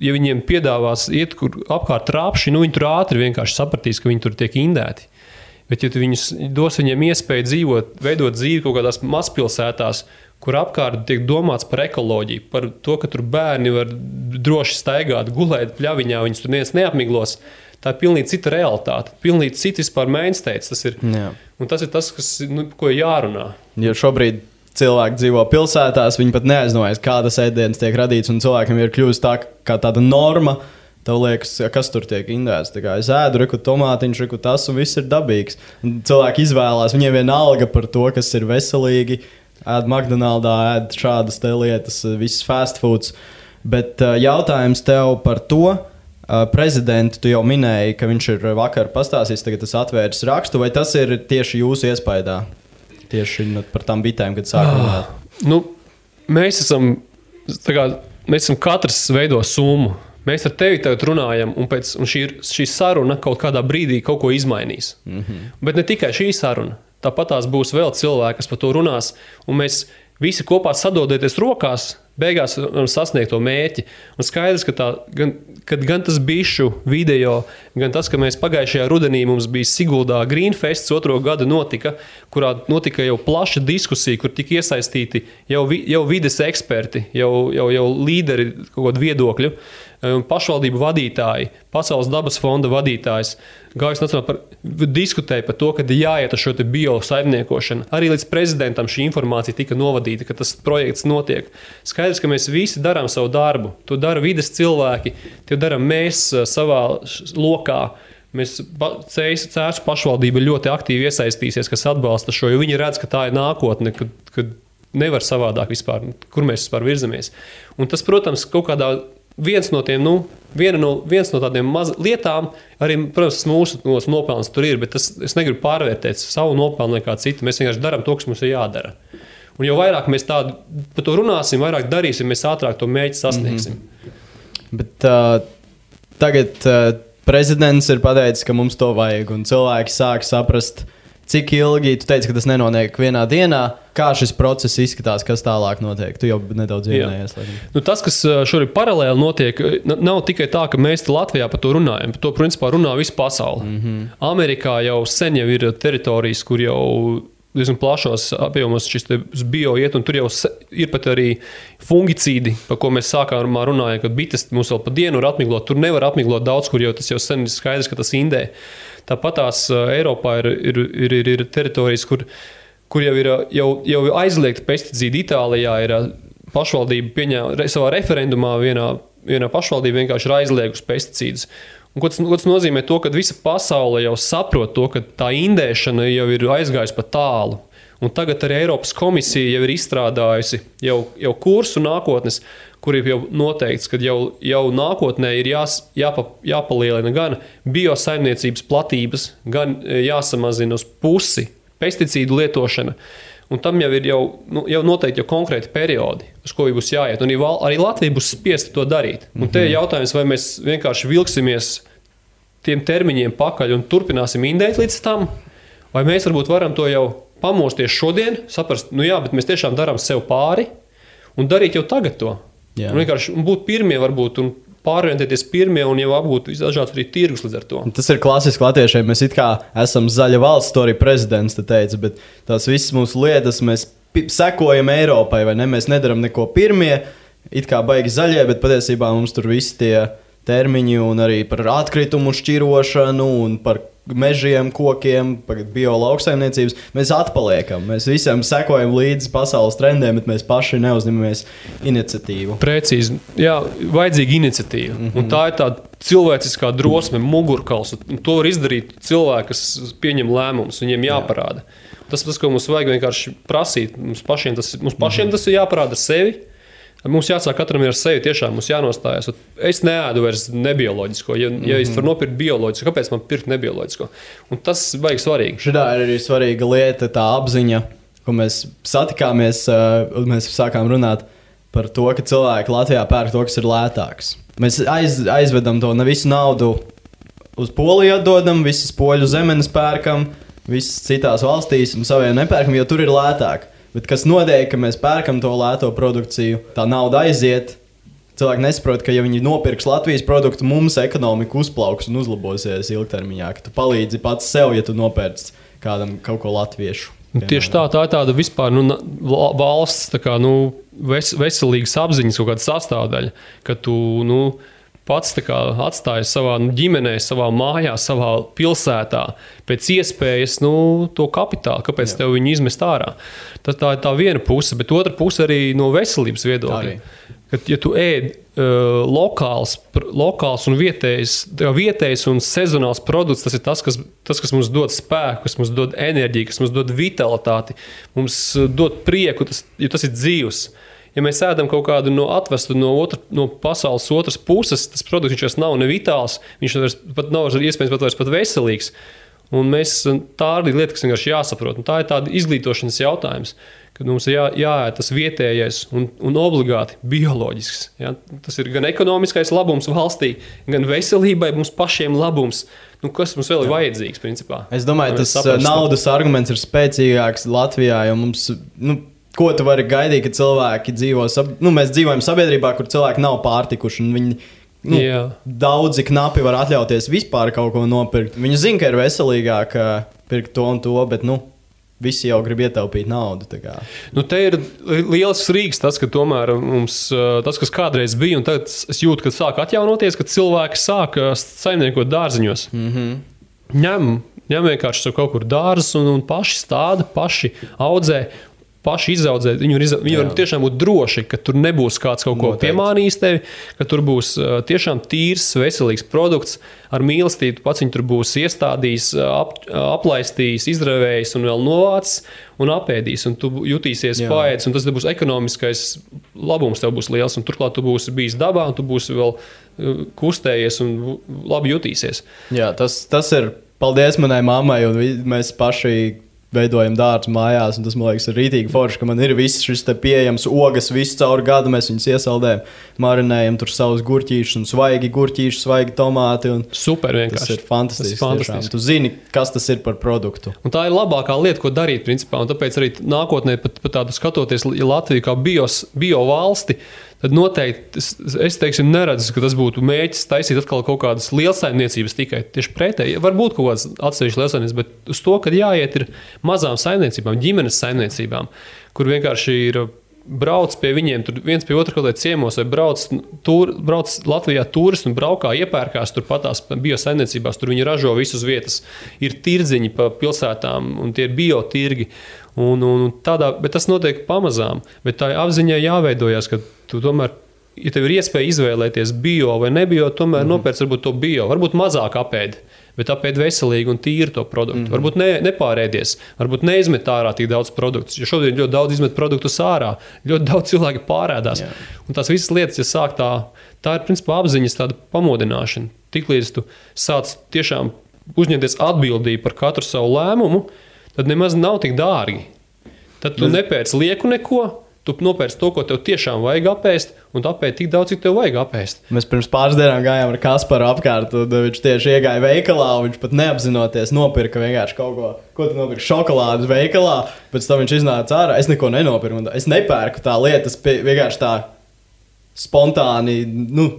Speaker 2: ja viņiem piedāvās iet kur apkārt trāpši, viņi tur ātri vienkārši sapratīs, ka viņi tur tiek indēti. Bet ja tu dos viņiem iespēju dzīvot, veidot dzīvi kaut kādās mazpilsētās, kur apkārt tiek domāts par ekoloģiju, par to, ka tur bērni var droši staigāt, gulēt pļaviņā, viņus tur neviens neapmiglos, tā ir pilnīgi cita realitāte, pilnīgi cita vispār mainstates tas ir. Jā. Un tas ir tas, ko jārunā.
Speaker 1: Jo šobrīd cilvēki dzīvo pilsētās, viņi pat neaizdomājas, kādas ēdienas tiek radīts, un cilvēkiem ir kļuvusi tā kā tāda norma. Tev liekas, kas tur tiek indēts. Tā kā es ēdu, reku tomātiņš, reku tas, un viss ir dabīgs. Un cilvēki izvēlās, viņiem vienalga par to, kas ir veselīgi. Ēd McDonaldā, ēd šādas te lietas, viss fast foods. Bet jautājums tev par to, prezidentu tu jau minēji, ka viņš ir vakar pastāstījis, tagad tas atvērs rakstu, vai tas ir tieši jūsu iespaidā? Tieši par tām bitēm, kad sāk runāt.
Speaker 2: Mēs esam katrs veido summu. Mēs ar tevi tagad runājam, un šī saruna kaut kādā brīdī kaut ko izmainīs. Bet ne tikai šī saruna. Tāpat tās būs vēl cilvēki, kas par to runās, un mēs visi kopā sadodieties rokās, beigās varam sasniegt to mērķi. Un skaidrs, ka gan tas bišu video, gan tas, ka mēs pagājušajā rudenī mums bija Siguldā Greenfests 2. gadu notika, kurā notika jau plaša diskusija, kur tika iesaistīti jau vides eksperti, jau līderi kaut kādu viedokļu, pašvaldību vadītāji, Pasaules dabas fonda vadītājs, Gaujas Nacionālā parka diskutēja par to, ka jāiet ar šo te biosaimniekošanu. Arī līdz prezidentam šī informācija tika novadīta, ka tas projekts notiek. Skaidrs, ka mēs visi darām savu darbu. To dara vides cilvēki, to darām mēs savā lokā. Mēs Cēsu pašvaldība ļoti aktīvi iesaistīsies, kas atbalsta šo, jo viņi redz, ka tā ir nākotne, kad nevar savādāk vispār, kur mēs vispār virzamies. Un tas, protams, kaut kādā viens no tādiem lietām, arī, protams, mūsu nopelns tur ir, bet es negribu pārvērtēt savu nopelnu nekā citu. Mēs vienkārši darām to, kas mums ir jādara. Un jo vairāk mēs par to runāsim, vairāk darīsim, mēs ātrāk to mēģi sasniegsim.
Speaker 1: Bet tagad prezidents ir pateicis, ka mums to vajag, un cilvēki sāk saprast, cik ilgi, tu teici, ka tas nenotiek vienā dienā, kā šis process izskatās, kas tālāk notiek? Tu jau nedaudz ieminējies.
Speaker 2: Tas, kas šobrīd paralēli notiek, nav tikai tā, ka mēs Latvijā par to runājam. Par to, principā, runā visa pasaule. Amerikā jau sen jau ir teritorijas, kur jau diezgan plašos apjomos šis bio iet, un tur jau ir pat arī fungicīdi, par ko mēs sākumā runājam, kad bites mums vēl pa dienu var atmiglot. Tur nevar atmiglot daudz, kur jau tas jau sen ir skaidrs, ka tas indē. Tāpat tās Eiropā ir teritorijas, kur jau ir aizliegti pesticīdi. Itālijā ir pašvaldība pieņēma savā referendumā vienā pašvaldība vienkārši ir aizliegusi pesticīdus. Un ko tas nozīmē to, ka visa pasaule jau saprot to, ka tā indēšana jau ir aizgājusi pa tālu. Un tagad arī Eiropas komisija jau ir izstrādājusi jau kursu nākotnes, kur ir jau noteikts, ka jau nākotnē ir jāpalielina gan biosaimniecības platības, gan jāsamazina uz pusi pesticīdu lietošana. Un tam jau ir jau noteikti jau konkrēti periodi, uz ko būs jāiet. Un arī Latvija būs spiesta to darīt. Un te ir jautājums, vai mēs vienkārši vilksimies tiem termiņiem pakaļ un turpināsim indēt līdz tam, vai mēs varbūt varam to jau pamosties šodien, saprast, bet mēs tiešām darām sev pāri un darīt jau tagad to. Jā. Un vienkārši būt pirmie varbūt un pārorientēties pirmie un jau apgūt dažāds arī tirgus līdz ar to.
Speaker 1: Tas ir klasiski latviešiem. Mēs it kā esam zaļa valsts, to arī prezidents teica, bet tās visas mūsu lietas mēs sekojam Eiropai, vai ne? Mēs nedaram neko pirmie, it kā baigi zaļie, bet patiesībā mums tur visi tie termiņi un arī par atkritumu šķirošanu un par mežiem, kokiem, par biolauksaimniecības. Mēs atpaliekam. Mēs visiem sekojam līdzi pasaules trendiem, bet mēs paši neuzņemamies iniciatīvu.
Speaker 2: Precīzi. Jā, vajadzīga iniciatīva. Un tā ir tāda cilvēciskā drosme, mugurkauls. Un to var izdarīt cilvēki, kas pieņem lēmumus. Viņiem jāparāda. Tas, ko mums vajag vienkārši prasīt. Mums pašiem tas ir jāparāda ar sevi. Mums jāsāk katram ar sevi, tiešām mums jānostājas. Es neēdu vairs nebioloģisko. Ja es varu nopirkt bioloģisko, kāpēc man pirkt nebioloģisko? Un tas baigi svarīgi.
Speaker 1: Šitā ir arī svarīga lieta, tā apziņa, ko mēs satikāmies un mēs sākām runāt par to, ka cilvēki Latvijā pērk to, kas ir lētāks. Mēs aizvedam to visu naudu uz Poliju atdodam, visas poļu zemenes pērkam, visas citās valstīs un saviem nepērkam, jo tur ir lētāk. Bet kas notiek, ka mēs pērkam to lēto produkciju, tā nauda aiziet. Cilvēki nesaprot, ka ja viņi nopirks Latvijas produktu, mums ekonomika uzplauks un uzlabosies ilgtermiņā. Ka tu palīdzi pats sev, ja tu nopērci kādam kaut ko latviešu.
Speaker 2: Tieši tā ir tāda vispār valsts veselīgas apziņas kaut kāda sastāvdaļa, ka tu pats atstājas savā ģimenē, savā mājā, savā pilsētā, pēc iespējas to kapitālu, kāpēc tev viņu izmest ārā. Tā ir tā viena puse, bet otra puse arī no veselības viedokļa. Kad, ja tu ēd lokāls un vietējs un sezonāls produkts, tas ir tas, kas mums dod spēku, kas mums dod enerģiju, kas mums dod vitalitāti, mums dod prieku, jo tas ir dzīvs. Ja mēs ēdam kaut kādu atvestu no pasaules otras puses, tas produkts viņš vairs nav ne vitāls, viņš pat nav iespējams pat veselīgs. Un tā arī lieta, kas vienkārši jāsaprot. Un tā ir tāda izglītošanas jautājums, kad mums ir jāēd tas vietējais un obligāti bioloģisks. Ja? Tas ir gan ekonomiskais labums valstī, gan veselībai mums pašiem labums. Kas mums vēl ir vajadzīgs, principā?
Speaker 1: Es domāju, tas naudas arguments ir spēcīgāks Latvijā, jo mums... Ko tu vari gaidīt, ka cilvēki dzīvo... Mēs dzīvojam sabiedrībā, kur cilvēki nav pārtikuši, un viņi daudzi knapi var atļauties vispār kaut ko nopirkt. Viņi zina, ka ir veselīgāk pirkt to un to, bet visi jau grib ietaupīt naudu.
Speaker 2: Te ir liels rīks tas, ka tomēr mums tas, kas kādreiz bija, un tagad es jūtu, ka sāk atjaunoties, ka cilvēki sāk saimniekot dārziņos. Ņem vienkārši kaut kur dārzus un paši stāda, paši audzē. Paši izaudzēt, viņi var tiešām būt droši, ka tur nebūs kāds kaut ko piemānījis tevi, ka tur būs tiešām tīrs, veselīgs produkts ar mīlestību, pats viņi tur būs iestādījis, aplaistījis, izravējis un vēl novācis un apēdīs, un tu jutīsies paēdis, un tas būs ekonomiskais labums tev būs liels, un turklāt tu būsi bijis dabā, un tu būsi vēl kustējies un labi jutīsies.
Speaker 1: Jā, tas ir paldies manai mammai, un mēs paši veidojam dārzu mājās, un tas, man liekas, ir rītīgi forši, ka man ir viss šis te pieejams ogas visu caur gadu, mēs viņus iesaldējam, marinējam tur savus gurķīšus un svaigi gurķīši, svaigi tomāti.
Speaker 2: Super vienkārši.
Speaker 1: Tas ir fantastiski. Tu zini, kas tas ir par produktu. Un
Speaker 2: tā ir labākā lieta, ko darīt, principā, un tāpēc arī nākotnē pat tādu skatoties, ja Latviju kā bio valsti, tad noteikti es teiksim, neredzu, ka tas būtu mēģis taisīt atkal kaut kādas lielsaimniecības tikai. Tieši pretēji, varbūt kaut kādas atsevišķas lielsaimniecības, bet uz to, kad jāiet ir mazām saimniecībām, ģimenes saimniecībām, kur vienkārši ir brauc pie viņiem, tur viens pie otra kaut kādā ciemos, vai brauc Latvijā turisti un braukā, iepērkās tur patās biosaimniecībās, tur viņi ražo visus vietas. Ir tirdziņi pa pilsētām, un tie ir biotirgi. Bet tas notiek pamazām, bet tā apziņā jāveidojas, ka tu tomēr, ja tev ir iespēja izvēlēties bio vai nebio, tomēr nopērc varbūt to bio, varbūt mazāk apēdi, bet apēdi veselīgi un tīri to produktu. Varbūt nepārēdies, varbūt neizmet ārā tik daudz produktus, jo šodien ļoti daudz izmet produktus ārā, ļoti daudz cilvēki pārēdās. Un tās visas lietas, ja sāk tā ir principā apziņas tāda pamodināšana. Tiklīdz tu sāc tiešām uzņemties atbildību par katru savu lēmumu, tad nemaz nav tik dārgi. Tad tu nepērc lieku neko, tu nopērc to, ko tev tiešām vajag apēst, un tu apēdi tik daudz, cik tev vajag apēst.
Speaker 1: Mēs pirms pāris dienām gājām ar Kasparu apkārt, un viņš tieši iegāja veikalā, un viņš pat neapzinoties nopirka vienkārši kaut ko tu nopirki šokolādes veikalā, pēc tam viņš iznāca ārā, es neko nenopirku, es nepērku tā lietas, vienkārši tā spontāni,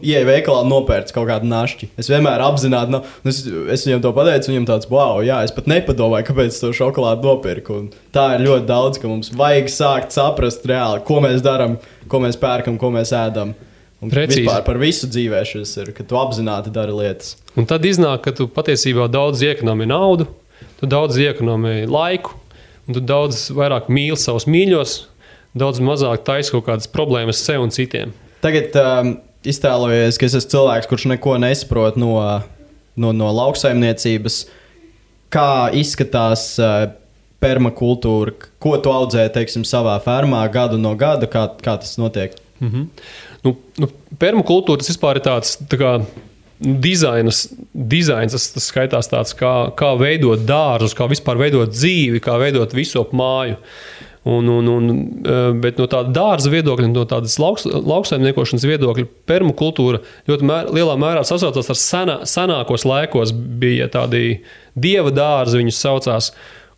Speaker 1: ieeja veikalā un nopērc kaut kādu našķi. Es vienmēr apzināti, es viņam to pateicu, viņam tāds, wow, jā, es pat nepadomāju, kāpēc to šokolādu nopirku. Un tā ir ļoti daudz, ka mums vajag sākt saprast reāli, ko mēs daram, ko mēs pērkam, ko mēs ēdam. Un vispār par visu dzīvē šis ir, ka tu apzināti dari lietas.
Speaker 2: Un tad iznāk, ka tu patiesībā daudz iekonomē naudu, tu daudz iekonomē laiku, un tu daudz vairāk mīli savus mīļos, daudz mazāk taisi kaut kādas problēmas sev un citiem.
Speaker 1: Tagad iztēlojies, ka es esmu cilvēks, kurš neko nesaprot no lauksaimniecības. Kā izskatās permakultūra? Ko tu audzē, teiksim, savā fermā gadu no gada? Kā tas notiek?
Speaker 2: Permakultūra tas vispār ir tāds tā kā dizains, tas skaitās tāds, kā veidot dārzus, kā vispār veidot dzīvi, kā veidot visu ap māju. Bet no tāda dārza viedokļa, no tādas lauksaimniekošanas viedokļa, permakultūra ļoti lielā mērā sasaucās ar senākos laikos. Bija tādi dieva dārzi, viņus saucās,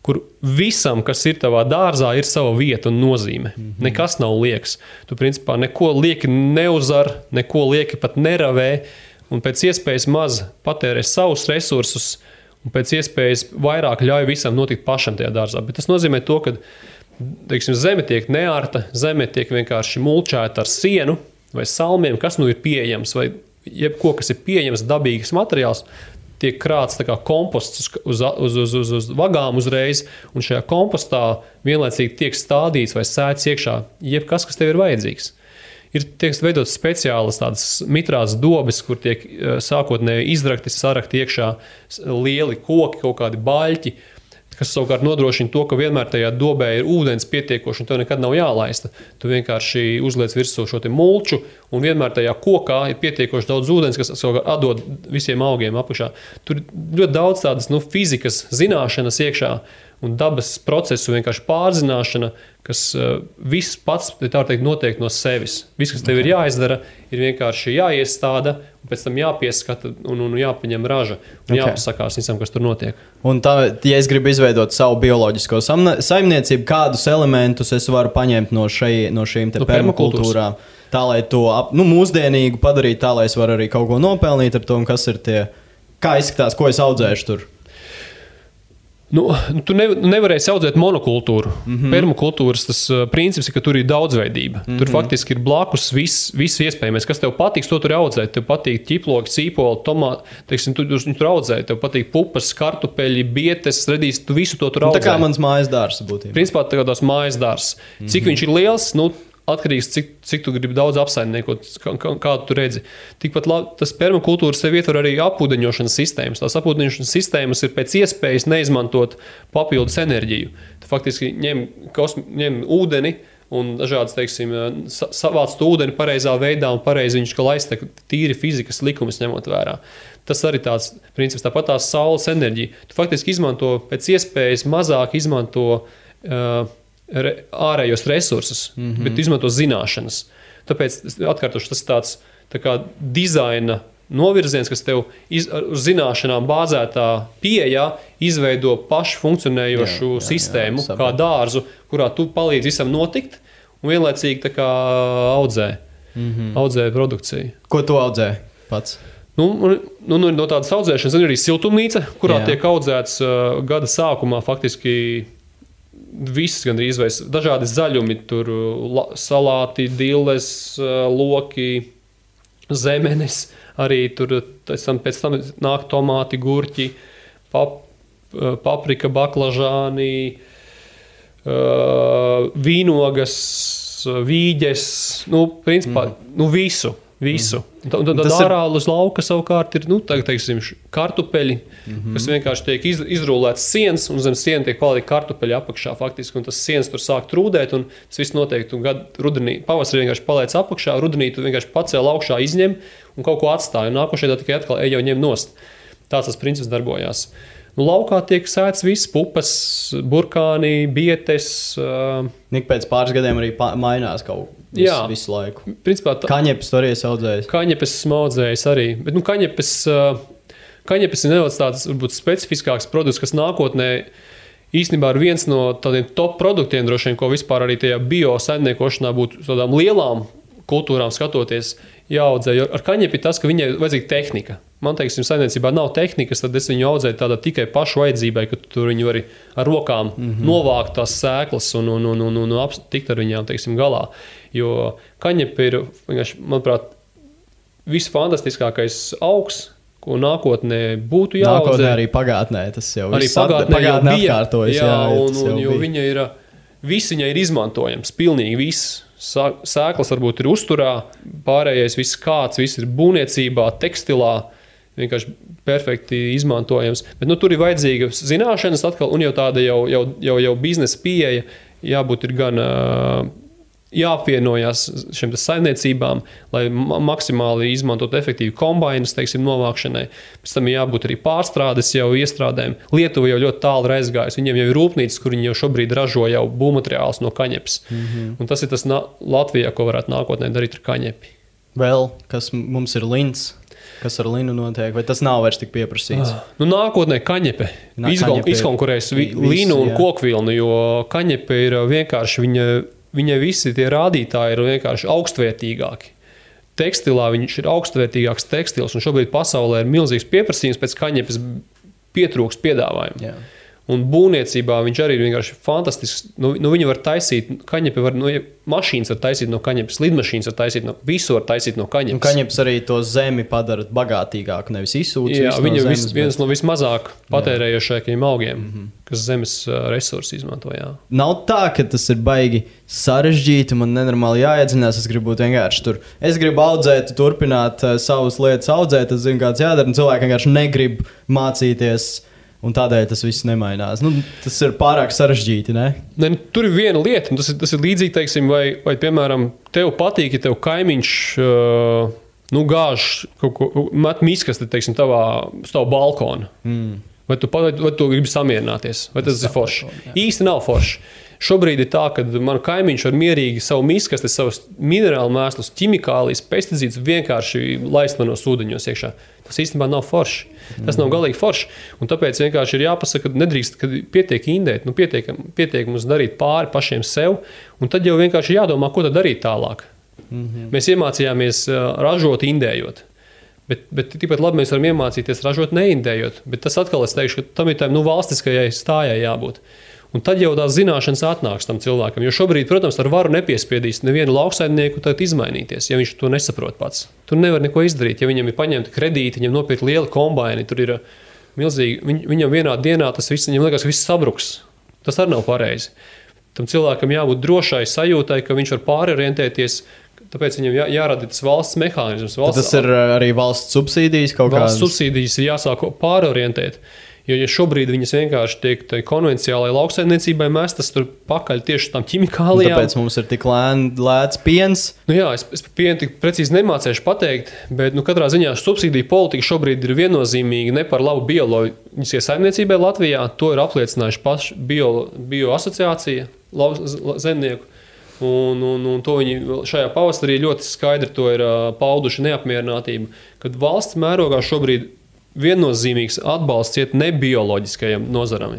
Speaker 2: kur visam, kas ir tavā dārzā, ir sava vieta un nozīme. Nekas nav liekas. Tu principā neko lieki neuzar, neko lieki pat neravē, un pēc iespējas maz patērē savus resursus, un pēc iespējas vairāk ļauj visam notikt pašam tajā dārzā. Bet tas nozīmē to, ka teiksim, zeme tiek neārta, zeme tiek vienkārši mulčēta ar sienu vai salmiem, kas ir pieejams, vai jebko, kas ir pieejams, dabīgs materiāls, tiek krāts tā kā komposts uz vagām uzreiz, un šajā kompostā vienlaicīgi tiek stādīts vai sēts iekšā jebkas, kas tev ir vajadzīgs. Tiek veidot speciālas tādas mitrās dobes, kur tiek sākotnēji izrakti, sarakti iekšā lieli koki, kaut kādi baļķi, kas savukārt nodrošina to, ka vienmēr tajā dobē ir ūdens pietiekoši un tev nekad nav jālaista. Tu vienkārši uzliec virsū šo te mulču un vienmēr tajā kokā ir pietiekoši daudz ūdens, kas savukārt atdod visiem augiem apakšā. Tur ļoti daudz tādas fizikas zināšanas iekšā un dabas procesu vienkārši pārzināšana, kas viss pats, tā teikt, notiek no sevis. Viss, kas tev ir jāizdara, ir vienkārši jāiestāda, un pēc tam jāpieskata un jāpaņem raža, un jāpasakās visam, kas tur notiek.
Speaker 1: Un tā, ja es gribu izveidot savu bioloģisko saimniecību, kādus elementus es varu paņemt no šīm te permakultūrām, tā, lai to mūsdienīgu padarīt, tā, lai es varu arī kaut ko nopelnīt ar to, un kas ir tie, kā izskatās, ko es audzēšu tur.
Speaker 2: Tu nevarēsi audzēt monokultūru. Permakultūras tas princips ir, ka tur ir daudzveidība. Tur faktiski ir blakus viss iespējamais. Kas tev patiks, to tur audzēt. Tev patīk ķiploki, cīpoli, tomāti. Teiksim, tu tur audzēt. Tev patīk pupas, kartupeļi, bietes, redīs, tu visu to tur audzēt.
Speaker 1: Tā kā mans mājas dārs būtībā.
Speaker 2: Principā tā kā tās mājas dārs. Cik viņš ir liels, atkarīgs, cik tu gribi daudz apsaimniekot, kādu tu redzi. Tikpat tas permakultūras sev ietver arī apūdeņošanas sistēmas. Tās apūdeņošanas sistēmas ir pēc iespējas neizmantot papildus enerģiju. Tu faktiski ņem ūdeni un dažādas, teiksim, savāc ūdeni pareizā veidā un pareizi viņš laist tīri fizikas likumus ņemot vērā. Tas arī tāds princips, tāpat tās saules enerģija. Tu faktiski izmanto pēc iespējas mazāk izmanto ārējos resursus, bet tu izmanto zināšanas. Tāpēc, atkārtoši, tas ir tāds tā kā dizaina novirziens, kas tev uz zināšanām bāzētā pieejā izveido pašu funkcionējošu sistēmu, kā dārzu, kurā tu palīdzi visam notikt un vienlaicīgi tā kā audzē produkciju.
Speaker 1: Ko tu audzē pats?
Speaker 2: No tādas audzēšanas ir arī siltumnīca, kurā tiek audzēts gada sākumā faktiski viss gandrīz vai dažādi zaļumi, tur salāti, dilles, loki, zemenes, arī tur pēc tam nāk tomāti, gurķi, paprika, baklažāni, vīnogas, vīģes, principā, visu. Un tad ārā uz lauka savukārt ir, teiksim, kartupeļi, kas vienkārši tiek izrūlēts sienas, un zem siena tiek palika kartupeļi apakšā faktiski, un tas sienas tur sāk trūdēt, un tas viss notiek, un rudenī, pavasarī vienkārši paliec apakšā, rudenī tu vienkārši pacēl augšā, izņem un kaut ko atstāja, un nākošajā tikai atkal jau ņem nost. Tāds tas princips darbojās. Laukā tiek sēts viss, pupas, burkāni, bietes.
Speaker 3: Nik pēc pāris gadiem arī mainās kaut visu laiku.
Speaker 2: Principā
Speaker 3: kaņepes tu arī esi audzējis?
Speaker 2: Kaņepes esmu audzējis arī. Bet kaņepes ir nedaudz tāds varbūt specifiskāks produkts, kas nākotnē īstenībā ir viens no tādiem top produktiem droši vien, ko vispār arī tajā biosaimniekošanā būtu tādām lielām kultūrām skatoties jāaudzē. Jo ar kaņepi ir tas, ka viņai vajadzīga tehnika. Man, teiksim, saimniecībā nav tehnikas, tad es viņu audzēju tādā tikai pašu vajadzībai, ka tur viņu var ar rokām novākt tās sēklas un tikt ar viņām, teiksim, galā. Jo kaņepe ir, manuprāt, visfantastiskākais augs, ko nākotnē būtu jāaudzē.
Speaker 3: Nākotnē arī pagātnē tas jau
Speaker 2: arī pagātnē
Speaker 3: atkārtojas.
Speaker 2: Jo viņai ir izmantojams, pilnīgi viss. Sēklas varbūt ir uzturā, pārējais viss kāds, viss ir būvniecībā, tekstilā, vienkārši perfekti izmantojams. Bet tur ir vajadzīga zināšanas atkal, un jau tāda jau biznesa pieeja, jābūt ir gan jāapvienojās šiem saimniecībām, lai maksimāli izmantot efektīvi kombainus, teiksim, novākšanai. Pēc tam jābūt arī pārstrādes jau iestrādēm. Lietuva jau ļoti tālu ir aizgājusi. Viņiem jau ir rūpnīcas, kur viņi jau šobrīd ražo jau būvmateriālus no kaņepes. Un tas ir tas Latvijā, ko varētu nākotnē darīt ar kaņepi.
Speaker 3: Vēl, kas mums ir lins? Kas ar linu notiek? Vai tas nav vairs tik pieprasīts?
Speaker 2: Nākotnē kaņepe izkonkurēs linu un kokvilnu, jo kaņepe ir vienkārši viņai visi tie rādītāji ir vienkārši augstvērtīgāki. Tekstilā viņš ir augstvērtīgāks tekstils, un šobrīd pasaulē ir milzīgs pieprasījums pēc kaņepes pietrūkst piedāvājumu.
Speaker 3: Jā.
Speaker 2: Un būvniecībā viņš arī ir vienkārši fantastisks. Viņi var taisīt, kaņepi var, mašīnas var taisīt no kaņepes, lidmašīnas var taisīt visu var taisīt no kaņepes.
Speaker 3: Un kaņepes arī to zemi padara bagātīgāku, nevis izsūc.
Speaker 2: Jā, viņa viens no vismazāk patērējošākajiem augiem, kas zemes resursi izmanto. Jā.
Speaker 3: Nav tā, ka tas ir baigi sarežģīti, man nenormāli jāiedzinās, es gribu būt vienkārši tur. Es gribu audzēt, turpināt savas lietas audzēt, es zinu, kāds jādara, un cilvēki vienkārši negrib mācīties. Un tādēļ tas viss nemainās. Tas ir pārāk sarežģīti, ne?
Speaker 2: Tur ir viena lieta, un tas ir līdzīgi, teiksim, vai piemēram, tev patīk, ja tev kaimiņš gāž kaut ko, met miskasti, teiksim, uz tavu balkonu. Vai tu gribi samierināties, vai tas ir forši? Īsti nav forši. Šobrīd ir tā, ka man kaimiņš var mierīgi savu miskasti, savus minerālu mēslus, ķimikālijas, pesticīdus vienkārši laist manos ūdeņos iekšā. Tas īstenībā nav forši. Tas nav galīgi forši. Un tāpēc vienkārši ir jāpasaka, ka nedrīkst, kad pietiek indēt, pietiek mums darīt pāri pašiem sev, un tad jau vienkārši jādomā, ko tad darīt tālāk. Mēs iemācījāmies ražot indējot. Bet tikpat labi mēs varam iemācīties ražot neindējot. Bet tas atkal es teikšu, ka tam ir tā valstiskajai stājai jābūt. Un tad jau tās zināšanas atnāks tam cilvēkam. Jo šobrīd, protams, ar varu nepiespiedīs nevienu lauksaimnieku izmainīties, ja viņš to nesaprot pats. Tur nevar neko izdarīt. Ja viņam ir paņemta kredīti, viņam nopirkt liela kombaini, tur ir milzīgi. Viņam vienā dienā tas viss, viņam liekas, viss sabruks. Tas arī nav pareizi. Tam cilvēkam jābūt drošai sajūtai, ka viņš var pārorientēties. Tāpēc viņam jārada tas valsts mehānisms.
Speaker 3: Tas ir arī valsts subsīdijas kaut kādas?
Speaker 2: Valsts subsīdijas ir jāsāk pārorientēt. Jo ja šobrīd viņas vienkārši tiek konvenciālai lauksaimniecībai mestas tur pakaļ tieši tam ķimikālijām.
Speaker 3: Tāpēc mums ir tik lēts piens.
Speaker 2: Nu jā, es par pienu tik precīzi nemācēšu pateikt, bet katrā ziņā subsīdiju politika šobrīd ir viennozīmīgi ne par labu bioloģiskai saimniecībai Latvijā. To ir apliecinājuši paši bio asociācija zemnieku. Un to viņi šajā pavasarī ļoti skaidri to ir pauduši neapmierinātību, kad valsts mērogā šobrīd viennozīmīgs atbalsts iet nebioloģiskajam nozaram.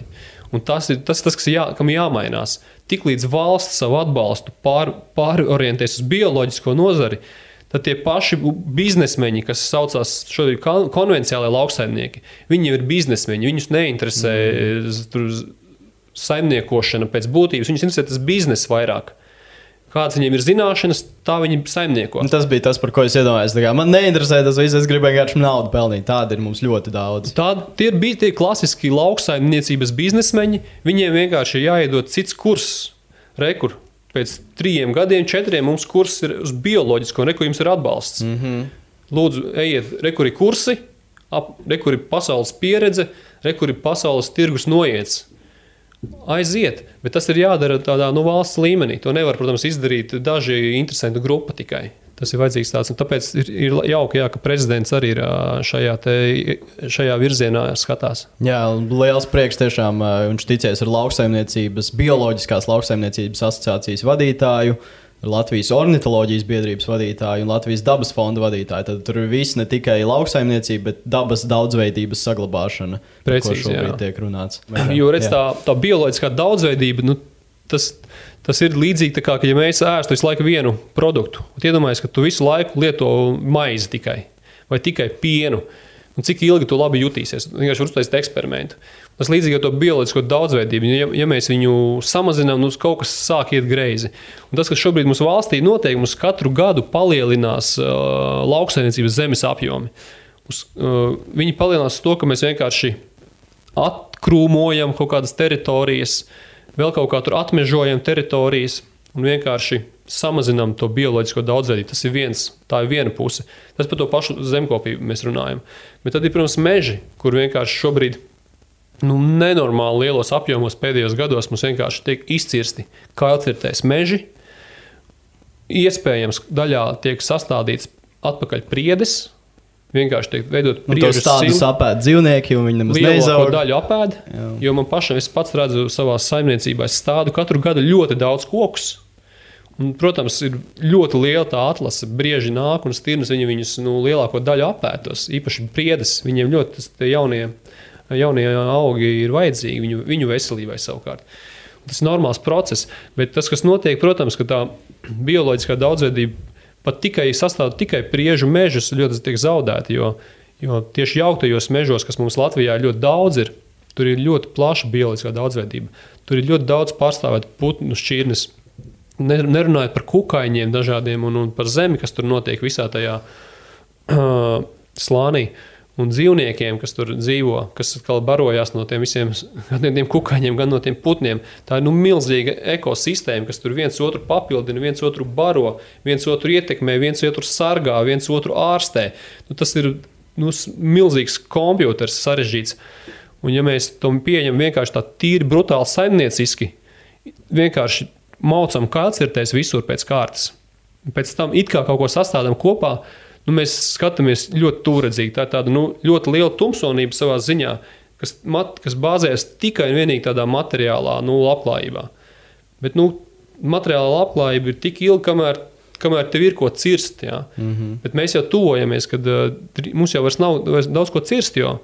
Speaker 2: Un tas ir tas kam jāmainās. Tiklīdz valsts savu atbalstu pārorientēs uz bioloģisko nozari, tad tie paši biznesmeņi, kas saucās šodien konvenciālai lauksaimnieki, viņi jau ir biznesmeņi, viņus neinteresē saimniekošana pēc būtības, viņus interesē tas biznes vairāk. Kāds viņiem ir zināšanas, tā viņi saimnieko.
Speaker 3: Tas bija tas, par ko es iedomājos. Man neinteresē tas viss, es gribēju vienkārši naudu pelnīt. Tāda ir mums ļoti daudz.
Speaker 2: Tie ir klasiski lauksaimniecības biznesmeņi. Viņiem vienkārši ir jāiedod cits kurs. Rekur. Pēc 3 gadiem, 4 mums kurs ir uz bioloģisko, rekur jums ir atbalsts. Lūdzu, ejiet, rekur ir kursi, rekur ir pasaules pieredze, rekur ir pasaules tirgus noiets. Aiziet, bet tas ir jādara tādā valsts līmenī. To nevar, protams, izdarīt daži interesantu grupa tikai. Tas ir vajadzīgs tāds, un tāpēc ir jauki, ka prezidents arī ir šajā virzienā skatās.
Speaker 3: Jā, liels prieks tiešām, viņš ticies ar bioloģiskās lauksaimniecības asociācijas vadītāju, Latvijas ornitoloģijas biedrības vadītāju un Latvijas dabas fonda vadītāju. Tad tur ir viss ne tikai lauksaimniecība, bet dabas daudzveidības saglabāšana, par ko šobrīd tiek runāts.
Speaker 2: Jo redz, tā bioloģiskā daudzveidība, tas ir līdzīgi tā kā, ja mēs ēstu visu laiku vienu produktu. Iedomājies, ka tu visu laiku lieto maizi tikai, vai tikai pienu. Un cik ilgi tu labi jutīsies? Vienkārši var uztaisīt eksperimentu. Tas līdzīgi ar to bioloģisko daudzveidību. Ja mēs viņu samazinām, kaut kas sāk iet greizi. Un tas, kas šobrīd mūsu valstī notiek, mums katru gadu palielinās lauksaimniecības zemes apjomi. Viņi palielinās to, ka mēs vienkārši atkrūmojam kaut kādas teritorijas, vēl kaut kā tur atmežojam teritorijas un vienkārši samazinām to bioloģisko daudzveidību. Tā ir viena puse. Tas par to pašu zemkopību mēs runājam. Bet tad ir, protams, meži, kur vienkārši šobrīd nenormāli lielos apjomos pēdējos gados mums vienkārši tiek izcirsti kailcirtēs meži. Iespējams, daļā tiek sastādīts atpakaļ priedes, vienkārši tiek veidot priežu silu.
Speaker 3: Tādus apēd dzīvnieki, un viņi nemaz neizaug.
Speaker 2: Lielāko daļu apēd, jo man pašam, es pats redzu savā saimniecībā, es stādu katru gadu ļoti daudz kokus. Un, protams, ir ļoti liela tā atlase, brieži nāk un stirnas viņus lielāko daļu apētos, īpaši priedes, viņiem ļoti jaunie augi ir vajadzīgi viņu veselībai savukārt. Tas ir normāls process, bet tas, kas notiek, protams, ka tā bioloģiskā daudzveidība pat sastāv tikai priežu mežus ļoti tiek zaudēti, jo tieši jauktajos mežos, kas mums Latvijā ļoti daudz ir, tur ir ļoti plaša bioloģiskā daudzveidība. Tur ir ļoti daudz pārstāvēt putnu šķirnes. Nerunājot par kukaiņiem dažādiem un par zemi, kas tur notiek visā tajā slānī. Un dzīvniekiem, kas tur dzīvo, kas barojās no tiem visiem, gan no tiem kukaiņiem, gan no tiem putniem. Tā ir milzīga ekosistēma, kas tur viens otru papildina, viens otru baro, viens otru ietekmē, viens otru sargā, viens otru ārstē. Tas ir milzīgs kompjuters sarežģīts. Un ja mēs to pieņem vienkārši tā tīri brutāli saimnieciski, vienkārši maucam kailcirtēs visur pēc kārtas. Pēc tam it kā kaut ko sastādām kopā, mēs skatāmies ļoti tūredzīgi. Tā ir tāda ļoti liela tumsonība savā ziņā, kas bāzējas tikai un vienīgi tādā materiālā labklājībā. Bet materiālā labklājība ir tik ilga, kamēr tev ir ko cirst. Ja? Bet mēs jau tuvojamies, kad mums jau vairs nav daudz ko cirst, jo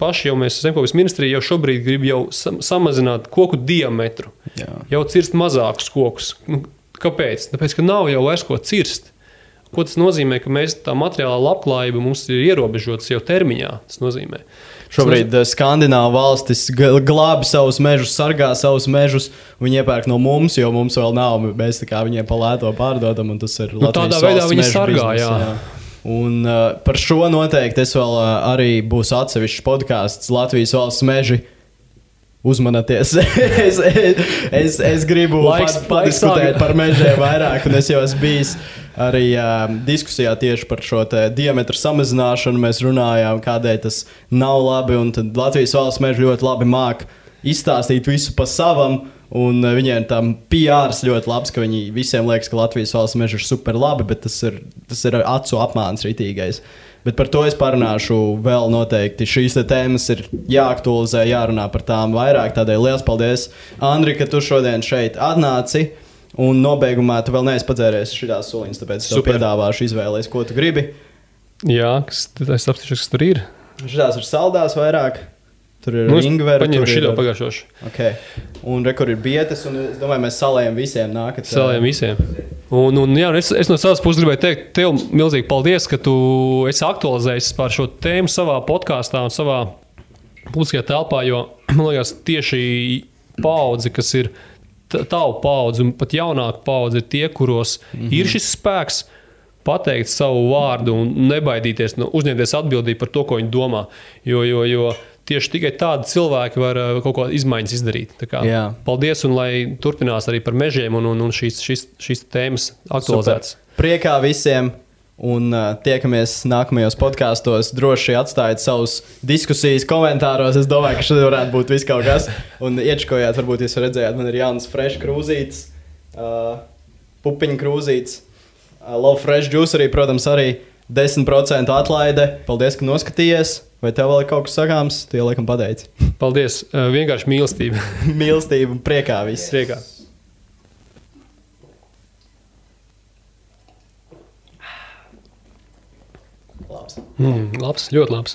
Speaker 2: paši mēs Zemkopības ministrija jau šobrīd grib samazināt koku diametru. Jā. Jau cirst mazākus kokus. Kāpēc? Tāpēc, ka nav jau vairs ko cirst. Ko tas nozīmē, ka mēs tā materiālā labklājība mums ir ierobežotas jau termiņā. Tas nozīmē.
Speaker 3: Šobrīd Skandināvu valstis glābi savus mežus, sargā savus mežus. Viņi iepērk no mums, jo mums vēl nav. Mēs tā kā viņiem pa lēto pārdodam, un tas ir Latvijas
Speaker 2: tādā veidā viņi sargā,
Speaker 3: biznes, jā. Un par šo noteikti es vēl arī būs atsevišķs podcasts Latvijas valsts meži. uzmanieties. es gribu padiskutēt par mežiem vairāk, un es jau esmu bijis arī diskusijā tieši par šo diametru samazināšanu. Mēs runājām, kādēļ tas nav labi, un tad Latvijas valsts meži ļoti labi māk izstāstīt visu pa savam, un viņiem tam PRs ļoti labs, ka viņi visiem liekas, ka Latvijas valsts meži ir super labi, bet tas ir acu apmāns ritīgais. Bet par to es parunāšu vēl noteikti. Šīs tēmas ir jāaktualizē, jārunā par tām vairāk. Tādēļ liels paldies, Andri, ka tu šodien šeit atnāci. Un nobeigumā tu vēl neesi padzēries šitās soliņas, tāpēc es tev piedāvāšu izvēlēties, ko tu gribi.
Speaker 2: Jā, es apstīšos, kas tur ir.
Speaker 3: Šitās ir saldās vairāk. Tur ir ringveri.
Speaker 2: Paņem šito pagājušoši.
Speaker 3: Okay. Un rekur ir bietes, un es domāju, mēs salējam visiem nākat.
Speaker 2: Salējam visiem. Un jā, es no savas puses gribēju teikt tev milzīgi paldies, ka tu esi aktualizējis par šo tēmu savā podkāstā un savā publiskajā telpā, jo, man liekas, tieši paudze, kas ir tavu paudze un pat jaunāka paudze, ir tie, kuros ir šis spēks pateikt savu vārdu un nebaidīties, uzņemties atbildību par to, ko viņi domā. Jo tieši tikai tādi cilvēki var kaut ko izmaiņas izdarīt. Tā kā, paldies, un lai turpinās arī par mežiem un šīs tēmas aktualizētas.
Speaker 3: Super. Priekā visiem, un tiekamies nākamajos podkāstos. Droši atstājiet savus diskusijas komentāros. Es domāju, ka šeit varētu būt viss kaut kas. Un iečkojāt, varbūt jūs redzējāt, man ir jauns fresh krūzītes, pupiņu krūzītes. Love Fresh Juice arī, protams, arī 10% atlaide. Paldies, ka noskatījies. Vai tev vēl ir kaut kas sakāms? Tu jau laikam pateici.
Speaker 2: Paldies. Vienkārši mīlestība.
Speaker 3: Mīlestība un priekā viss.
Speaker 2: Priekā.
Speaker 3: Labs.
Speaker 2: Labs, ļoti labs.